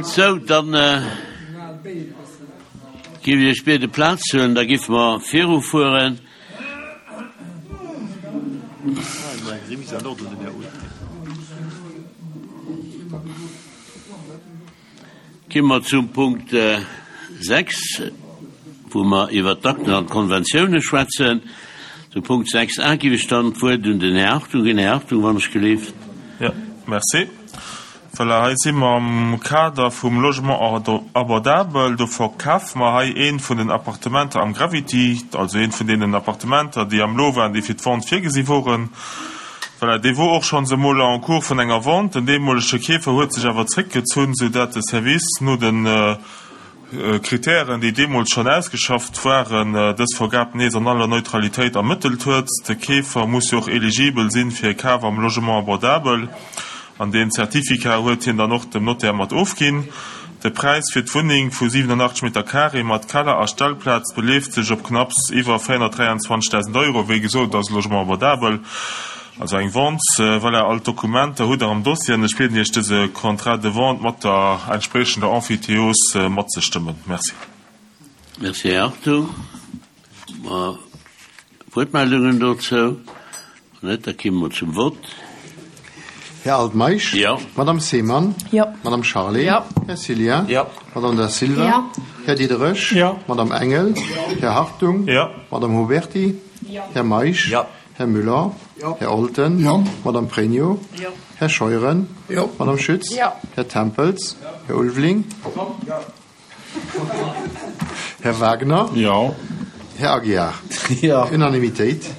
Sou, dann géif ech Iech biede Plaz ze huelen, da géife mer virufueren. Gi mer zum Punkt 6, wou mer iwwert d'Akten an d'Konventiounen schwätzen. Zum Punkt 6 a giff ech dann d'Wuert un den Här Hartung ginn. Här Hartung, wann ech gelift. Jo, merci. Voilà, hei si mer am Kader vum Logement abordable. Do verkafe mer hei eent vun den Appartementer am Gravity, also eent vun deenen Appartementer, déi am Lot waren, déi fir d'Vente virgesi woren. Voilà, dee wor och schonns emol en cours vun enger Vente. Den deemolege Keefer huet sech awer zréckgezunn, soudatt de Service no de Kritären, déi deemools schonn ausgeschafft waren, dës Vergab nees an aller Neutralitéit ermëttelt huet. De Keefer muss jo och eligibel sinn fir e Kaf am Logement abordable, an deen Certificat huet hien dann och dem Notaire mat ofginn. De Präis fir d'Wunneng vu 87 Meter Carré mat Keller a Stellplaz beleeft sech op knapps iwwer 423.000 Euro. Wéi gesot, et ass e Logement abordable, also eng Vente. Voilà, all d'Dokumenter hutt Der am Dossier an ech bieden Iech, dëse Contrat de vente mat der entspriechender Emphytéose matzestëmmen. Merci. Merci, Här Arthur. Wuertmeldungen dozou? Wann net, da kimme mer zum Vott. Här Altmeisch? Jo. Madame Seemann? Jo. Madame Charlé? Jo. Här Cillien? Jo. Madame Da Silva? Jo. Här Diderich? Jo. Madame Engel? Jo. Här Hartung? Jo. Madame Huberty? Jo. Här Meisch? Jo. Här Müller? Jo. Här Olten? Jo. Madame Pregno? Jo. Här Scheuren? Jo. Madame Schütz? Jo. Här Tempels? Här Ulveling? Jo. Här Wagner? Jo. Här Aguiar? Jo. Unanimitéit.